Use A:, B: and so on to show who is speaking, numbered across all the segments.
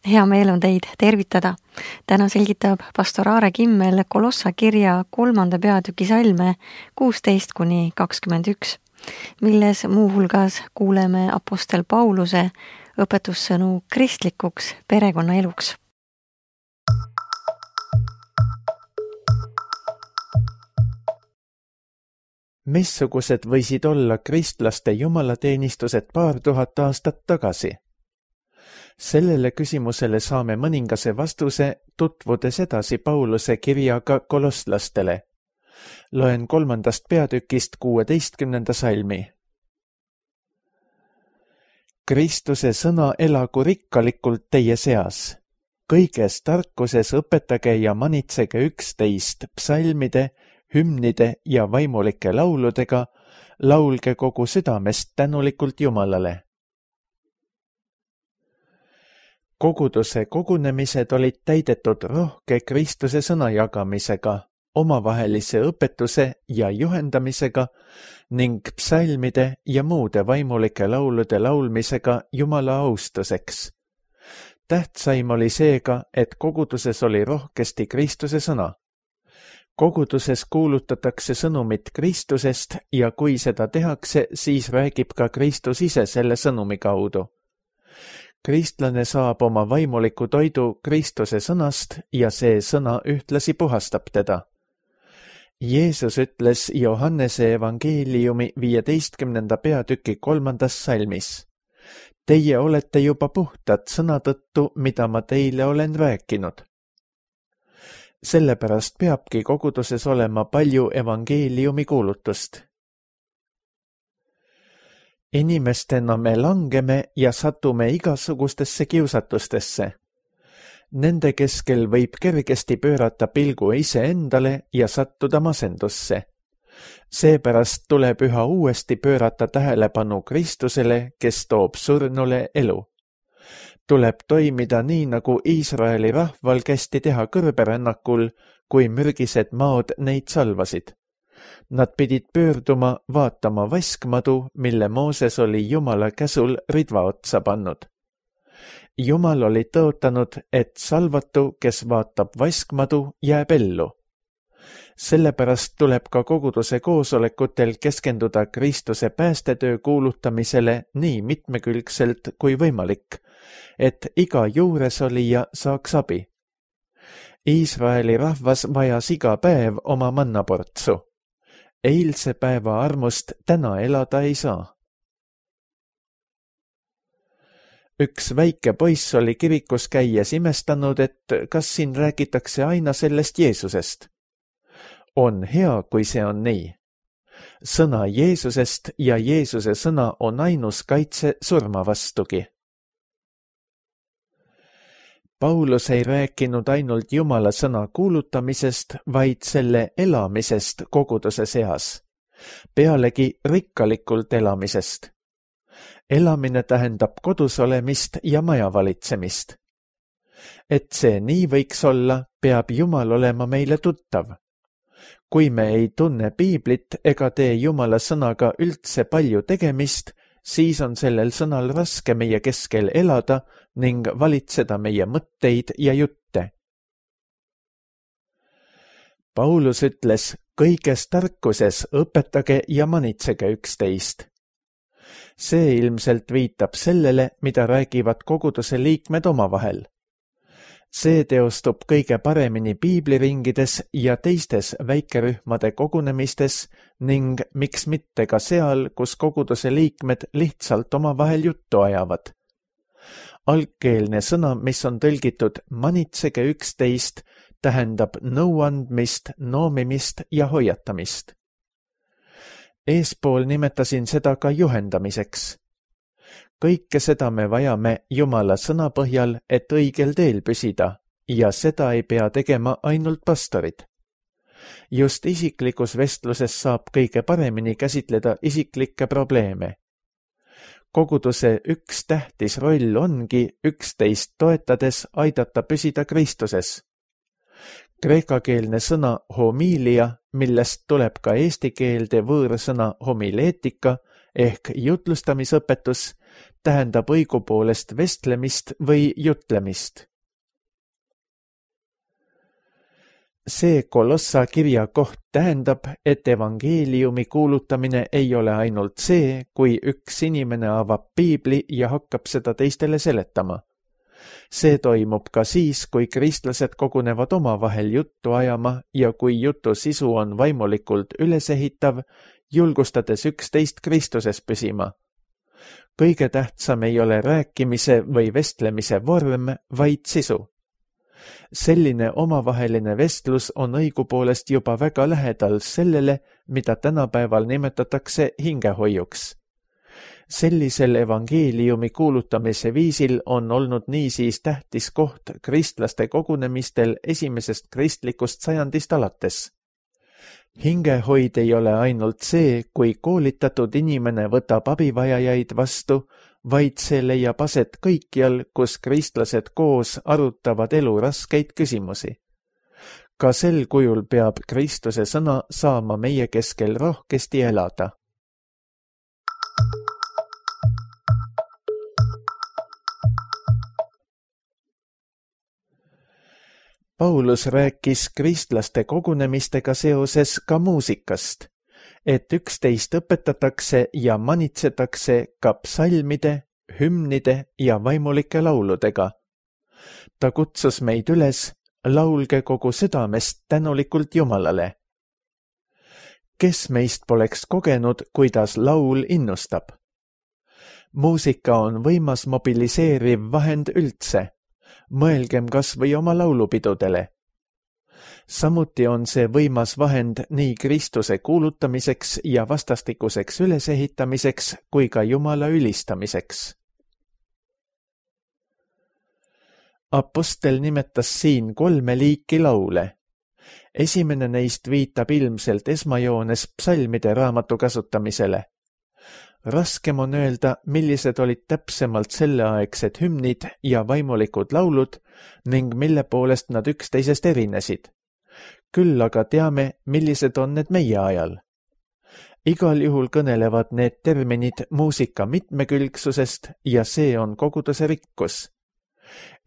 A: Hea meel on teid tervitada. Täna selgitab pastor Aare Kimmel Kolossa kirja 3. peatüki salme 16-21, milles muuhulgas kuuleme apostel Pauluse õpetussõnu kristlikuks perekonnaeluks.
B: Missugused võisid olla kristlaste jumalateenistused 2000 aastat tagasi? Sellele küsimusele saame mõningase vastuse, tutvudes edasi Pauluse kirjaga kolosslastele. Loen 3. peatükist 16. salmi. Kristuse sõna elagu rikkalikult teie seas. Kõiges tarkuses õpetage ja manitsege üksteist psalmide, hümnide ja vaimulike lauludega, laulge kogu südamest tänulikult Jumalale. Koguduse kogunemised olid täidetud rohke Kristuse sõna jagamisega, omavahelise õpetuse ja juhendamisega ning psalmide ja muude vaimulike laulude laulmisega Jumala austuseks. Tähtsaim oli seega, et koguduses oli rohkesti Kristuse sõna. Koguduses kuulutatakse sõnumit Kristusest ja kui seda tehakse, siis räägib ka Kristus ise selle sõnumi kaudu. Kristlane saab oma vaimuliku toidu Kristuse sõnast ja see sõna ühtlasi puhastab teda. Jeesus ütles Johannese evangeeliumi 15. peatüki 3. salmis. Teie olete juba puhtad sõna tõttu, mida ma teile olen rääkinud. Sellepärast peabki koguduses olema palju evangeeliumi kuulutust. Inimestena me langeme ja satume igasugustesse kiusatustesse. Nende keskel võib kergesti pöörata pilgu iseendale ja sattuda masendusse. Seepärast tuleb üha uuesti pöörata tähelepanu Kristusele, kes toob surnule elu. Tuleb toimida nii, nagu Iisraeli rahval kästi teha kõrberännakul, kui mürgised maod neid salvasid. Nad pidid pöörduma vaatama vaskmadu, mille Mooses oli Jumala käsul ridva otsa pannud. Jumal oli tõotanud, et salvatu, kes vaatab vaskmadu, jääb ellu. Sellepärast tuleb ka koguduse koosolekutel keskenduda Kristuse päästetöö kuulutamisele nii mitmekülgselt kui võimalik, et iga juuresolija saaks abi. Iisraeli rahvas vajas iga päev oma mannaportsu. Eilse päeva armust täna elada ei saa. Üks väike poiss oli kirikus käies imestanud, et kas siin räägitakse aina sellest Jeesusest. On hea, kui see on nii. Sõna Jeesusest ja Jeesuse sõna on ainus kaitse surma vastugi. Paulus ei rääkinud ainult Jumala sõna kuulutamisest, vaid selle elamisest koguduse seas. Pealegi rikkalikult elamisest. Elamine tähendab kodus olemist ja maja valitsemist. Et see nii võiks olla, peab Jumal olema meile tuttav. Kui me ei tunne piiblit ega tee Jumala sõnaga üldse palju tegemist, siis on sellel sõnal raske meie keskel elada ning valitseda meie mõtteid ja jutte. Paulus ütles, kõiges tarkuses õpetage ja manitsege üksteist. See ilmselt viitab sellele, mida räägivad koguduse liikmed omavahel. See teostub kõige paremini piibliringides ja teistes väikerühmade kogunemistes ning miks mitte ka seal, kus koguduse liikmed lihtsalt omavahel juttu ajavad. Algkeelne sõna, mis on tõlgitud manitsege üksteist, tähendab nõuandmist, noomimist ja hoiatamist. Eespool nimetasin seda ka juhendamiseks. Kõike seda me vajame Jumala sõna põhjal, et õigel teel püsida, ja seda ei pea tegema ainult pastorid. Just isiklikus vestluses saab kõige paremini käsitleda isiklikke probleeme. Koguduse üks tähtis roll ongi üksteist toetades aidata püsida Kristuses. Kreekakeelne sõna homilia, millest tuleb ka eesti keelde võõrsõna homileetika ehk jutlustamisõpetus, tähendab õigupoolest vestlemist või jutlemist. See Kolossa kirja koht tähendab, et evangeeliumi kuulutamine ei ole ainult see, kui üks inimene avab piibli ja hakkab seda teistele seletama. See toimub ka siis, kui kristlased kogunevad omavahel juttu ajama ja kui jutu sisu on vaimulikult ülesehitav, julgustades üksteist Kristuses püsima. Kõige tähtsam ei ole rääkimise või vestlemise vorm, vaid sisu. Selline omavaheline vestlus on õigupoolest juba väga lähedal sellele, mida tänapäeval nimetatakse hingehoiuks. Sellisel evangeeliumi kuulutamise viisil on olnud niisiis tähtis koht kristlaste kogunemistel esimesest kristlikust sajandist alates. Hingehoid ei ole ainult see, kui koolitatud inimene võtab abivajajaid vastu, vaid see leiab aset kõikjal, kus kristlased koos arutavad elu raskeid küsimusi. Ka sel kujul peab Kristuse sõna saama meie keskel rohkesti elada. Paulus rääkis kristlaste kogunemistega seoses ka muusikast, et üksteist õpetatakse ja manitsetakse ka psalmide, hümnide ja vaimulike lauludega. Ta kutsus meid üles, laulge kogu südamest tänulikult Jumalale. Kes meist poleks kogenud, kuidas laul innustab? Muusika on võimas mobiliseeriv vahend üldse. Mõelgem kas või oma laulupidudele. Samuti on see võimas vahend nii Kristuse kuulutamiseks ja vastastikuseks ülesehitamiseks kui ka Jumala ülistamiseks. Apostel nimetas siin 3 liiki laule. Esimene neist viitab ilmselt esmajoones psalmide raamatu kasutamisele. Raskem on öelda, millised olid täpsemalt selleaegsed hümnid ja vaimulikud laulud ning mille poolest nad üksteisest erinesid. Küll aga teame, millised on need meie ajal. Igal juhul kõnelevad need terminid muusika mitmekülgsusest ja see on koguduse rikkus.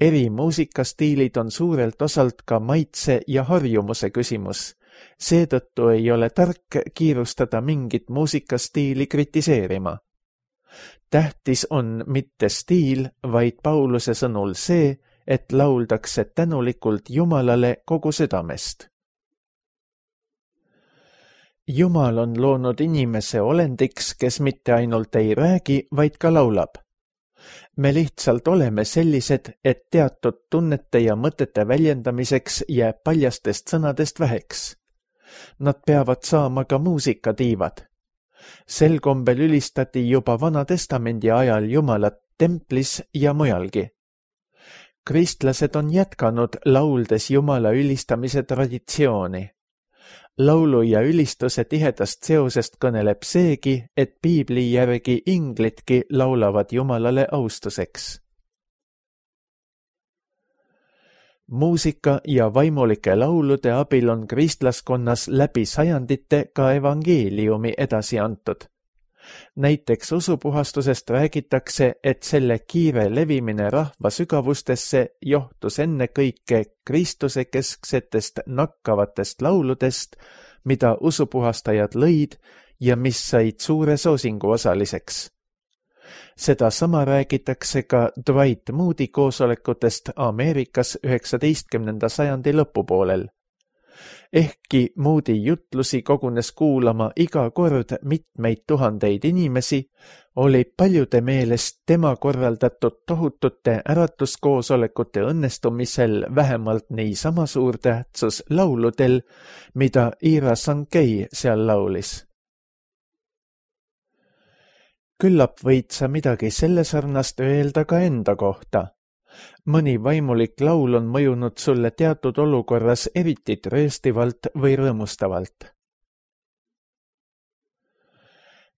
B: Eri muusikastiilid on suurelt osalt ka maitse ja harjumuse küsimus. Seetõttu ei ole tark kiirustada mingit muusikastiili kritiseerima. Tähtis on mitte stiil, vaid Pauluse sõnul see, et lauldakse tänulikult Jumalale kogu südamest. Jumal on loonud inimese olendiks, kes mitte ainult ei räägi, vaid ka laulab. Me lihtsalt oleme sellised, et teatud tunnete ja mõtete väljendamiseks jääb paljastest sõnadest väheks. Nad peavad saama ka muusikatiivad. Sel kombel ülistati juba Vana Testamendi ajal Jumalat templis ja mujalgi. Kristlased on jätkanud lauldes Jumala ülistamise traditsiooni. Laulu ja ülistuse tihedast seosest kõneleb seegi, et piibli järgi inglitki laulavad Jumalale austuseks. Muusika ja vaimulike laulude abil on kristlaskonnas läbi sajandite ka evangeeliumi edasi antud. Näiteks usupuhastusest räägitakse, et selle kiire levimine rahva sügavustesse johtus ennekõike Kristuse kesksetest nakkavatest lauludest, mida usupuhastajad lõid ja mis said suure soosingu osaliseks. Seda sama räägitakse ka Dwight Moody koosolekutest Ameerikas 19. sajandi lõpupoolel. Ehkki Moody jutlusi kogunes kuulama iga kord mitmeid tuhandeid inimesi, oli paljude meelest tema korraldatud tohutute äratuskoosolekute õnnestumisel vähemalt niisama suur tähtsus lauludel, mida Ira Sankei seal laulis. Küllap võid sa midagi selle sarnast öelda ka enda kohta. Mõni vaimulik laul on mõjunud sulle teatud olukorras eriti trööstivalt või rõõmustavalt.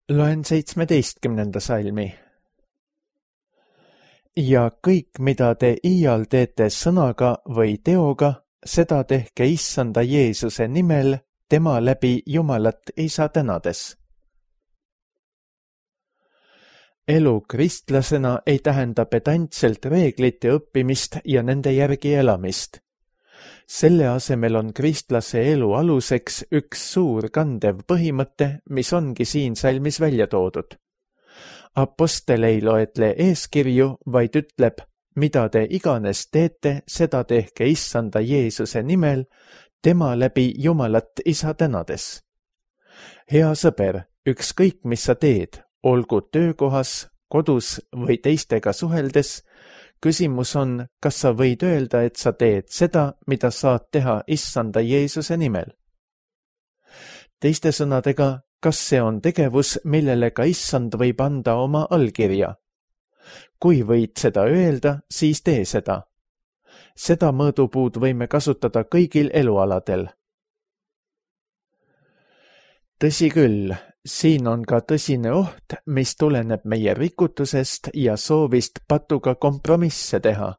B: Loen 17. salmi. Ja kõik, mida te iial teete sõnaga või teoga, seda tehke Issanda Jeesuse nimel, tema läbi Jumalat Isa tänades. elu kristlasena ei tähenda pedantselt reeglite õppimist ja nende järgi elamist. Selle asemel on kristlase elu aluseks üks suur kandev põhimõte, mis ongi siin salmis välja toodud. Apostel ei loetle eeskirju, vaid ütleb, mida te iganes teete, seda tehke Issanda Jeesuse nimel, tema läbi Jumalat Isa tänades. Hea sõber, ükskõik mis sa teed, olgu töökohas, kodus või teistega suheldes, küsimus on, kas sa võid öelda, et sa teed seda, mida saad teha Issanda Jeesuse nimel. Teiste sõnadega, kas see on tegevus, millele ka Issand võib anda oma allkirja? Kui võid seda öelda, siis tee seda. Seda mõõdupuud võime kasutada kõigil elualadel. Tõsi küll, siin on ka tõsine oht, mis tuleneb meie rikutusest ja soovist patuga kompromisse teha.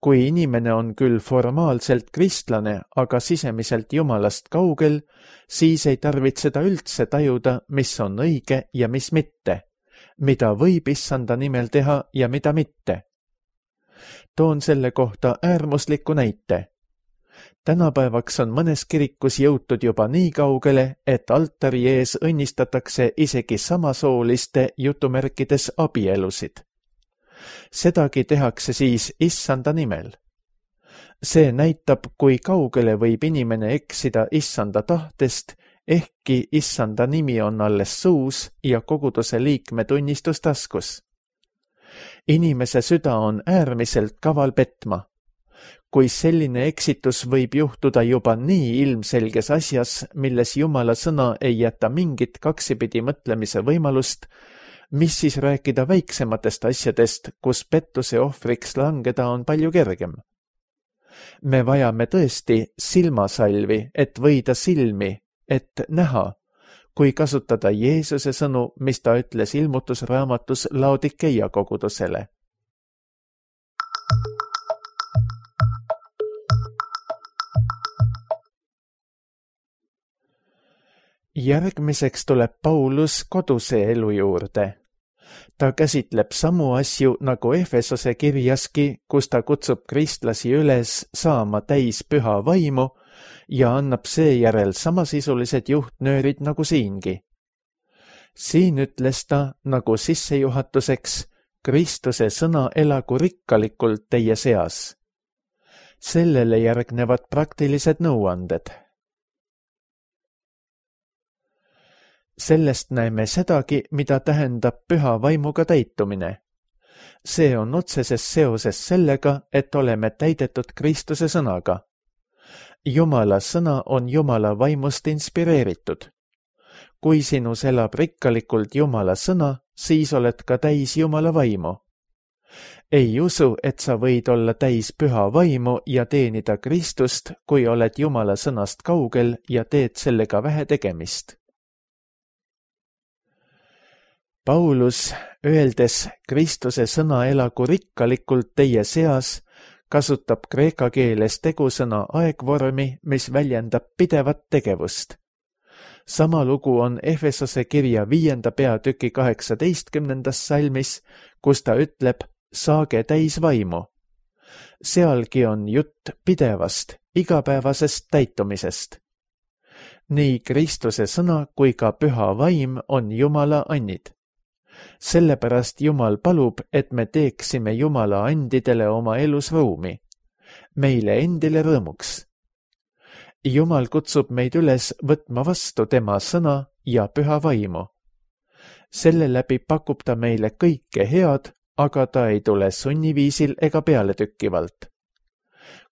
B: Kui inimene on küll formaalselt kristlane, aga sisemiselt Jumalast kaugel, siis ei tarvitseda üldse tajuda, mis on õige ja mis mitte, mida võib Issanda nimel teha ja mida mitte. Toon selle kohta äärmusliku näite. Tänapäevaks on mõnes kirikus jõutud juba nii kaugele, et altari ees õnnistatakse isegi samasooliste jutumärkides abielusid. Sedagi tehakse siis Issanda nimel. See näitab, kui kaugele võib inimene eksida Issanda tahtest, ehkki Issanda nimi on alles suus ja koguduse liikme tunnistus taskus. Inimese süda on äärmiselt kaval petma. Kui selline eksitus võib juhtuda juba nii ilmselges asjas, milles Jumala sõna ei jäta mingit kaksipidi mõtlemise võimalust, mis siis rääkida väiksematest asjadest, kus pettuse ohvriks langeda on palju kergem. Me vajame tõesti silmasalvi, et võida silmi, et näha, kui kasutada Jeesuse sõnu, mis ta ütles ilmutusraamatus Laodikeia kogudusele. Järgmiseks tuleb Paulus koduse elu juurde. Ta käsitleb samu asju nagu Efesose kirjaski, kus ta kutsub kristlasi üles saama täis püha vaimu ja annab seejärel samasisulised juhtnöörid nagu siingi. Siin ütles ta nagu sissejuhatuseks, Kristuse sõna elagu rikkalikult teie seas. Sellele järgnevad praktilised nõuanded. Sellest näeme sedagi, mida tähendab püha vaimuga täitumine. See on otseses seoses sellega, et oleme täidetud Kristuse sõnaga. Jumala sõna on Jumala vaimust inspireeritud. Kui sinus elab rikkalikult Jumala sõna, siis oled ka täis Jumala vaimu. Ei usu, et sa võid olla täis püha vaimu ja teenida Kristust, kui oled Jumala sõnast kaugel ja teed sellega vähe tegemist. Paulus, öeldes Kristuse sõna elagu rikkalikult teie seas, kasutab kreeka keeles tegusõna aegvormi, mis väljendab pidevat tegevust. Sama lugu on Efesose kirja 5. peatüki 18. salmis, kus ta ütleb, saage täis vaimu. Sealgi on jutt pidevast, igapäevasest täitumisest. Nii Kristuse sõna kui ka püha vaim on Jumala annid. Sellepärast Jumal palub, et me teeksime Jumala andidele oma elus ruumi, meile endile rõõmuks. Jumal kutsub meid üles võtma vastu tema sõna ja püha vaimu. Selle läbi pakub ta meile kõike head, aga ta ei tule sunniviisil ega pealetökkivalt.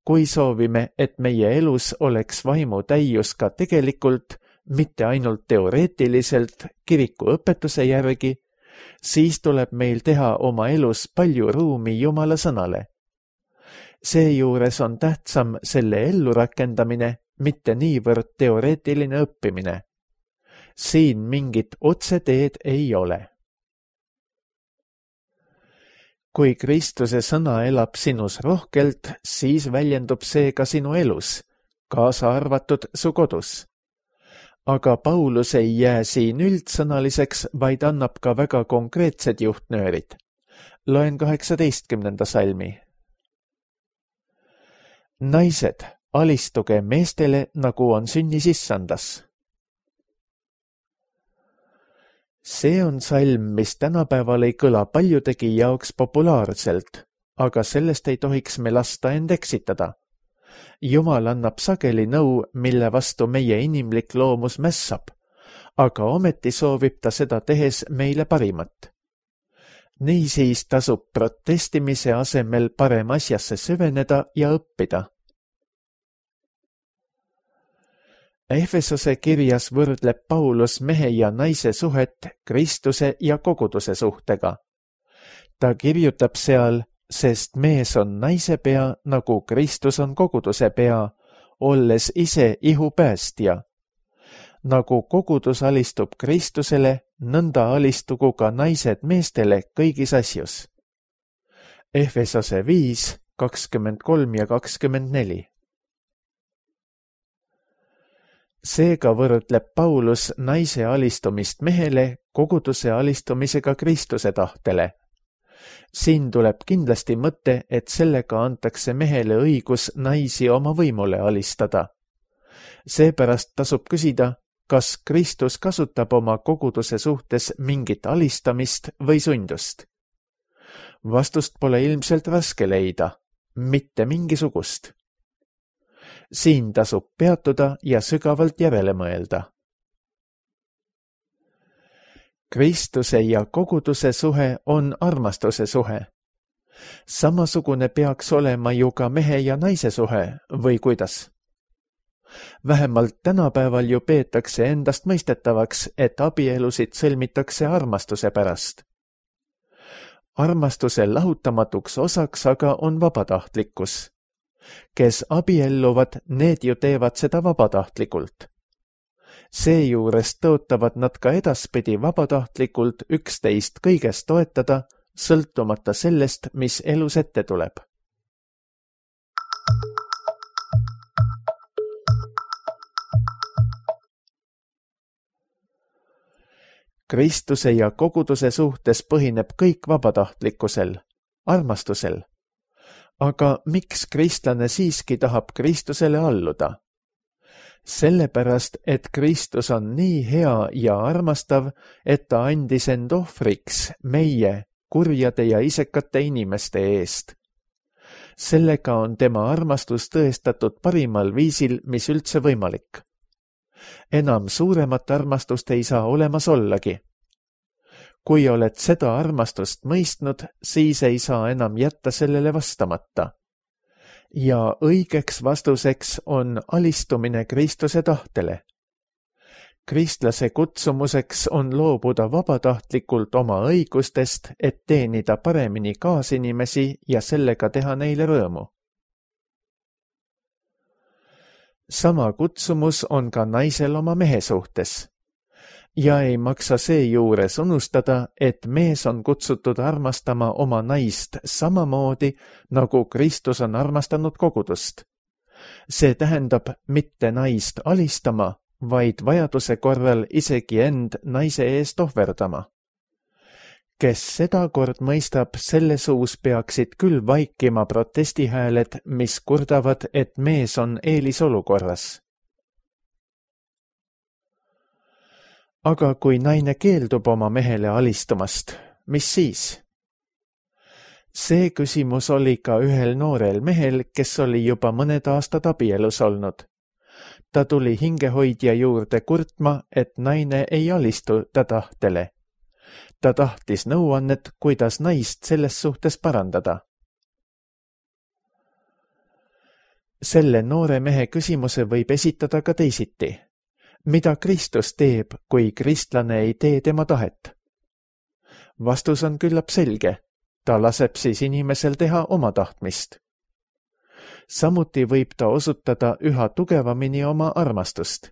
B: Kui soovime, et meie elus oleks vaimu täius ka tegelikult, mitte ainult teoreetiliselt kiriku õpetuse järgi, siis tuleb meil teha oma elus palju ruumi Jumala sõnale. Seejuures on tähtsam selle ellurakendamine, mitte niivõrd teoreetiline õppimine. Siin mingit otseteed ei ole. Kui Kristuse sõna elab sinus rohkelt, siis väljendub see ka sinu elus, kaasa arvatud su kodus. Aga Paulus ei jää siin üldsõnaliseks, vaid annab ka väga konkreetsed juhtnöörid. Loen 18. salmi. Naised, alistuge meestele, nagu on sünnis issandas. See on salm, mis tänapäeval ei kõla paljudegi jaoks populaarselt, aga sellest ei tohiks me lasta end eksitada. Jumal annab sageli nõu, mille vastu meie inimlik loomus mässab, aga ometi soovib ta seda tehes meile parimat. Niisiis tasub protestimise asemel parem asjasse süveneda ja õppida. Efesose kirjas võrdleb Paulus mehe ja naise suhet Kristuse ja koguduse suhtega. Ta kirjutab seal, sest mees on naise pea, nagu Kristus on koguduse pea, olles ise ihu päästja. Nagu kogudus alistub Kristusele, nõnda alistugu ka naised meestele kõigis asjus. Efesose 5, 23 ja 24. Seega võrdleb Paulus naise alistumist mehele koguduse alistumisega Kristuse tahtele. Siin tuleb kindlasti mõte, et sellega antakse mehele õigus naisi oma võimule alistada. Seepärast tasub küsida, kas Kristus kasutab oma koguduse suhtes mingit alistamist või sundust. Vastust pole ilmselt raske leida, mitte mingisugust. Siin tasub peatuda ja sügavalt järele mõelda. Kristuse ja koguduse suhe on armastuse suhe. Samasugune peaks olema ju ka mehe ja naise suhe, või kuidas? Vähemalt tänapäeval ju peetakse endast mõistetavaks, et abielusid sõlmitakse armastuse pärast. Armastuse lahutamatuks osaks aga on vabatahtlikkus. Kes abielluvad, need ju teevad seda vabatahtlikult. Seejuures tõotavad nad ka edaspidi vabatahtlikult üksteist kõigest toetada, sõltumata sellest, mis elus ette tuleb. Kristuse ja koguduse suhtes põhineb kõik vabatahtlikkusel, armastusel. Aga miks kristlane siiski tahab Kristusele alluda? Sellepärast, et Kristus on nii hea ja armastav, et ta andis end ohvriks meie, kurjade ja isekate inimeste eest. Sellega on tema armastus tõestatud parimal viisil, mis üldse võimalik. Enam suuremat armastust ei saa olemas ollagi. Kui oled seda armastust mõistnud, siis ei saa enam jätta sellele vastamata. Ja õigeks vastuseks on alistumine Kristuse tahtele. Kristlase kutsumuseks on loobuda vabatahtlikult oma õigustest, et teenida paremini kaasinimesi ja sellega teha neile rõõmu. Sama kutsumus on ka naisel oma mehe suhtes. Ja ei maksa seejuures unustada, et mees on kutsutud armastama oma naist samamoodi, nagu Kristus on armastanud kogudust. See tähendab mitte naist alistama, vaid vajaduse korral isegi end naise eest ohverdama. Kes seda kord mõistab, selle suus peaksid küll vaikima protestihääled, mis kurdavad, et mees on eelisolukorras. Aga kui naine keeldub oma mehele alistumast, mis siis? See küsimus oli ka ühel noorel mehel, kes oli juba mõned aastad abielus olnud. Ta tuli hingehoidja juurde kurtma, et naine ei alistu ta tahtele. Ta tahtis nõuannet, kuidas naist selles suhtes parandada. Selle noore mehe küsimuse võib esitada ka teisiti. Mida Kristus teeb, kui kristlane ei tee tema tahet? Vastus on küllap selge. Ta laseb siis inimesel teha oma tahtmist. Samuti võib ta osutada üha tugevamini oma armastust.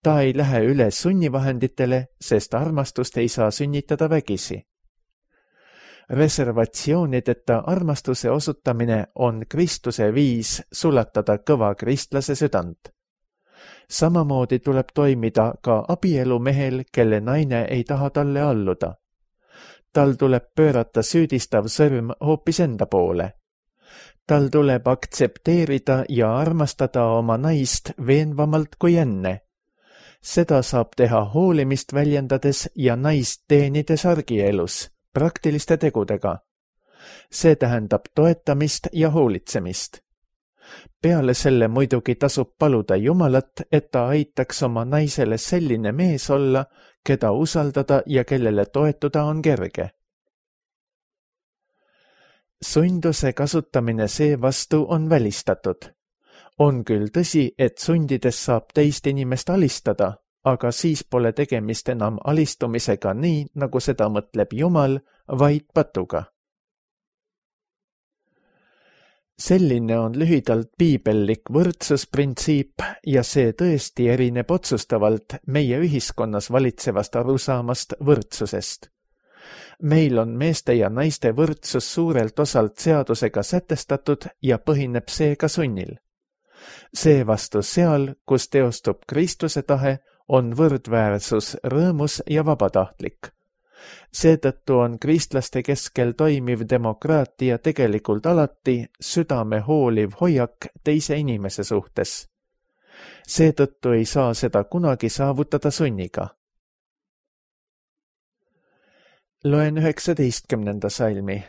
B: Ta ei lähe üle sunnivahenditele, sest armastust ei saa sünnitada vägisi. Reservatsioonideta armastuse osutamine on Kristuse viis sulatada kõva kristlase südant. Samamoodi tuleb toimida ka abielumehel, kelle naine ei taha talle alluda. Tal tuleb pöörata süüdistav sõrm hoopis enda poole. Tal tuleb aktsepteerida ja armastada oma naist veenvamalt kui enne. Seda saab teha hoolimist väljendades ja naist teenides argielus, praktiliste tegudega. See tähendab toetamist ja hoolitsemist. Peale selle muidugi tasub paluda Jumalat, et ta aitaks oma naisele selline mees olla, keda usaldada ja kellele toetuda on kerge. Sunduse kasutamine seevastu on välistatud. On küll tõsi, et sundides saab teist inimest alistada, aga siis pole tegemist enam alistumisega nii, nagu seda mõtleb Jumal, vaid patuga. Selline on lühidalt piibellik võrdsusprintsiip ja see tõesti erineb otsustavalt meie ühiskonnas valitsevast arusaamast võrdsusest. Meil on meeste ja naiste võrdsus suurelt osalt seadusega sätestatud ja põhineb seega sunnil. Seevastu seal, kus teostub Kristuse tahe, on võrdväärsus rõõmus ja vabatahtlik. Seetõttu on kristlaste keskel toimiv demokraatia tegelikult alati südame hooliv hoiak teise inimese suhtes. Seetõttu ei saa seda kunagi saavutada sunniga. Loen 19. salmi.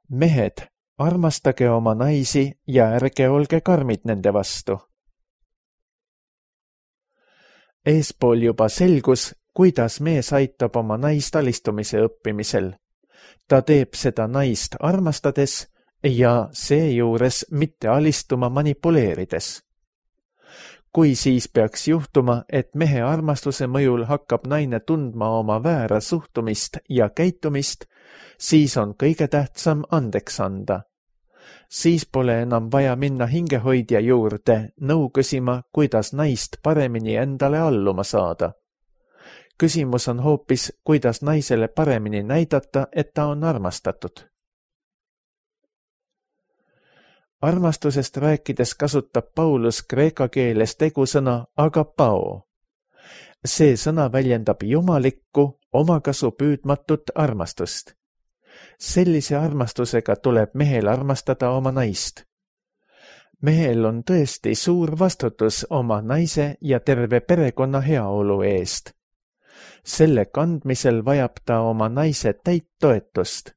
B: Mehed, armastage oma naisi ja ärge olge karmid nende vastu. Eespool juba selgus, kuidas mees aitab oma naist alistumise õppimisel. Ta teeb seda naist armastades ja seejuures mitte alistuma manipuleerides. Kui siis peaks juhtuma, et mehe armastuse mõjul hakkab naine tundma oma väära suhtumist ja käitumist, siis on kõige tähtsam andeks anda. Siis pole enam vaja minna hingehoidja juurde nõu küsima, kuidas naist paremini endale alluma saada. Küsimus on hoopis, kuidas naisele paremini näidata, et ta on armastatud. Armastusest rääkides kasutab Paulus kreeka keeles tegusõna agapao. See sõna väljendab jumalikku, omakasu püüdmatut armastust. Sellise armastusega tuleb mehel armastada oma naist. Mehel on tõesti suur vastutus oma naise ja terve perekonna heaolu eest. Selle kandmisel vajab ta oma naise täit toetust.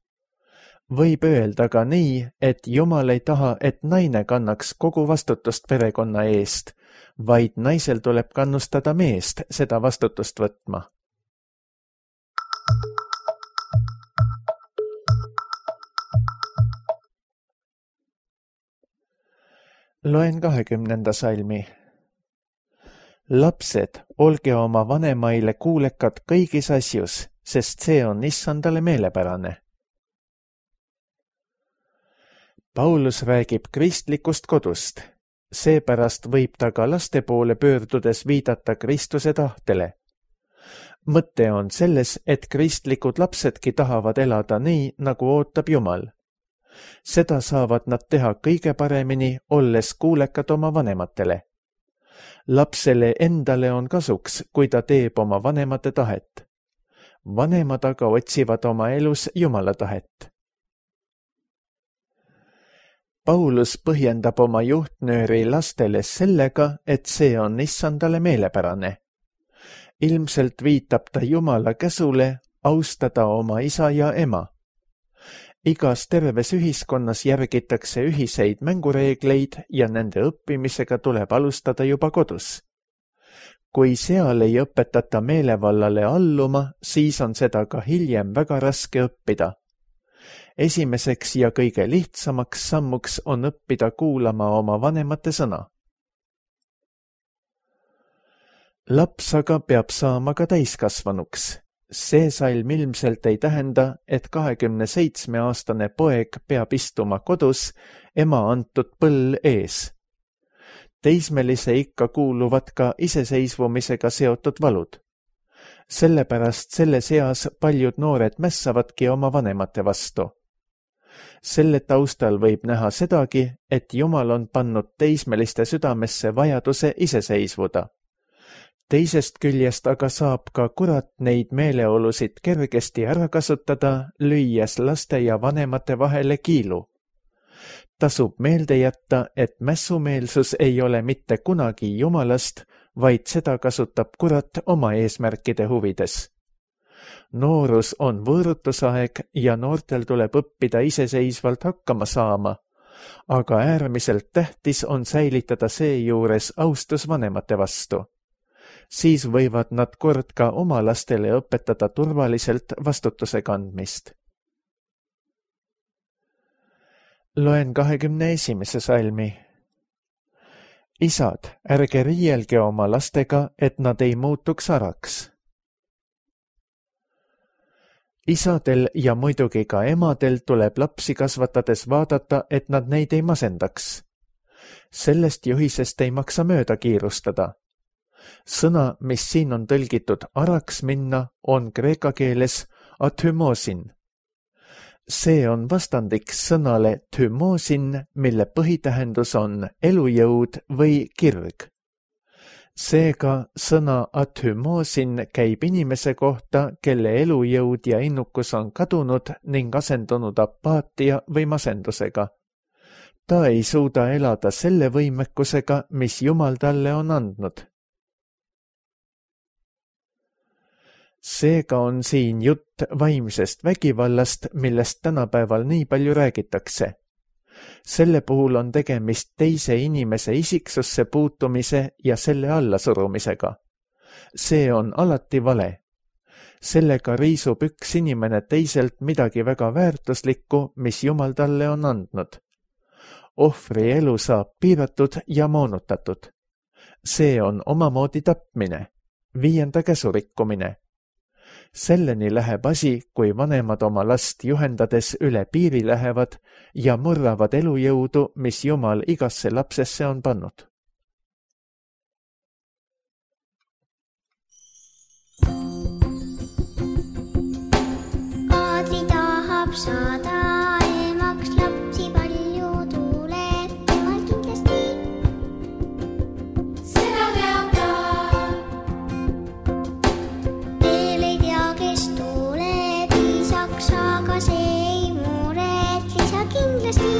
B: Võib öelda ka nii, et Jumal ei taha, et naine kannaks kogu vastutust perekonna eest, vaid naisel tuleb kannustada meest seda vastutust võtma. Loen 20. salmi. Lapsed, olge oma vanemaile kuulekad kõigis asjus, sest see on Issandale meelepärane. Paulus räägib kristlikust kodust, seepärast võib ta ka laste poole pöördudes viidata Kristuse tahtele. Mõte on selles, et kristlikud lapsedki tahavad elada nii, nagu ootab Jumal. Seda saavad nad teha kõige paremini, olles kuulekad oma vanematele. Lapsele endale on kasuks, kui ta teeb oma vanemate tahet. Vanemad aga otsivad oma elus Jumala tahet. Paulus põhjendab oma juhtnööri lastele sellega, et see on Issandale meelepärane. Ilmselt viitab ta Jumala käsule austada oma isa ja ema. Igas terves ühiskonnas järgitakse ühiseid mängureegleid ja nende õppimisega tuleb alustada juba kodus. Kui seal ei õpetata meelevallale alluma, siis on seda ka hiljem väga raske õppida. Esimeseks ja kõige lihtsamaks sammuks on õppida kuulama oma vanemate sõna. Laps aga peab saama ka täiskasvanuks. See salm ilmselt ei tähenda, et 27-aastane poeg peab istuma kodus ema antud põll ees. Teismelise ikka kuuluvad ka iseseisvumisega seotud valud. Sellepärast selles eas paljud noored mässavadki oma vanemate vastu. Selle taustal võib näha sedagi, et Jumal on pannud teismeliste südamesse vajaduse iseseisvuda. Teisest küljest aga saab ka kurat neid meeleolusid kergesti ära kasutada, lüües laste ja vanemate vahele kiilu. Tasub meelde jätta, et mässumeelsus ei ole mitte kunagi Jumalast, vaid seda kasutab kurat oma eesmärkide huvides. Noorus on võõrutusaeg ja noortel tuleb õppida iseseisvalt hakkama saama, aga äärmiselt tähtis on säilitada seejuures austus vanemate vastu. Siis võivad nad kord ka oma lastele õpetada turvaliselt vastutuse kandmist. Loen 21. salmi. Isad, ärge riielge oma lastega, et nad ei muutuks araks. Isadel ja muidugi ka emadel tuleb lapsi kasvatades vaadata, et nad neid ei masendaks. Sellest juhisest ei maksa mööda kiirustada. Sõna, mis siin on tõlgitud araks minna, on kreeka keeles athymosin. See on vastandiks sõnale thymosin, mille põhitähendus on elujõud või kirg. Seega sõna athymosin käib inimese kohta, kelle elujõud ja innukus on kadunud ning asendunud apaatia või masendusega. Ta ei suuda elada selle võimekusega, mis Jumal talle on andnud. Seega on siin jutt vaimsest vägivallast, millest tänapäeval nii palju räägitakse. Selle puhul on tegemist teise inimese isiksusse puutumise ja selle allasurumisega. See on alati vale. Sellega riisub üks inimene teiselt midagi väga väärtuslikku, mis Jumal talle on andnud. Ohvri elu saab piiratud ja moonutatud. See on omamoodi tapmine, 5. käsu rikkumine. Selleni läheb asi, kui vanemad oma last juhendades üle piiri lähevad ja murravad elujõudu, mis Jumal igasse lapsesse on pannud.
C: Kadri tahab saada emaks, lapsi palju tuleb temal kindlasti. Seda teab ta. Veel ei tea, kes tuleb isaks, aga see ei muret lisa kindlasti.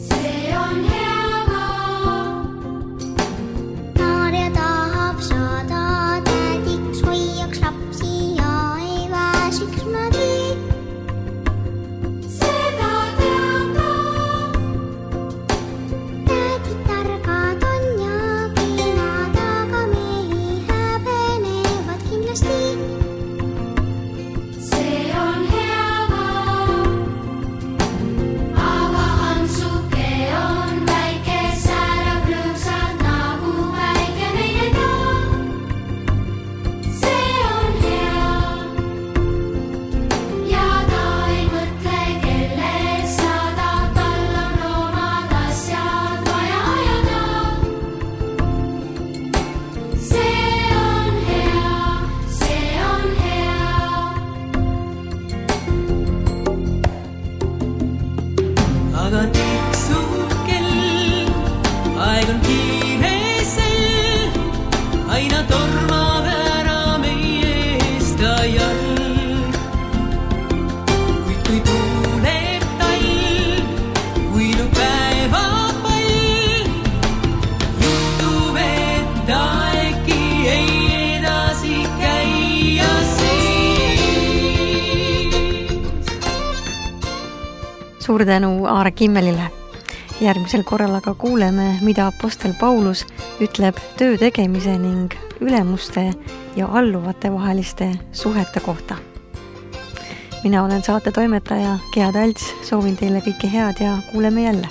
C: See on hea ka. Maarja tahab saada tädiks, hoiaks lapsi ja ei väsiks kunagi. Seda teab ta. Tädid targad on ja kenad, aga mehi häbenevad kindlasti. See on hea ka. Aga Hansuke on väike, särab rõõmsalt nagu päike meile ka. See on hea. Ja ta ei mõtle, kellest saada, tal on omad asjad vaja ajada. See on hea, see on hea.
D: Aga tiksub kell, aeg on kiiresel, aina tormab ära meie eest ajal. Kuid kui tuleb talv, uinub päevapall, juhtub, et äkki ei edasi käia
A: Suur tänu Aare Kimmelile. Järgmisel korral aga kuuleme, mida apostel Paulus ütleb töö tegemise ning ülemuste ja alluvate vaheliste suhete kohta. Mina olen saate toimetaja Gea Talts, soovin teile kõike head ja kuuleme jälle.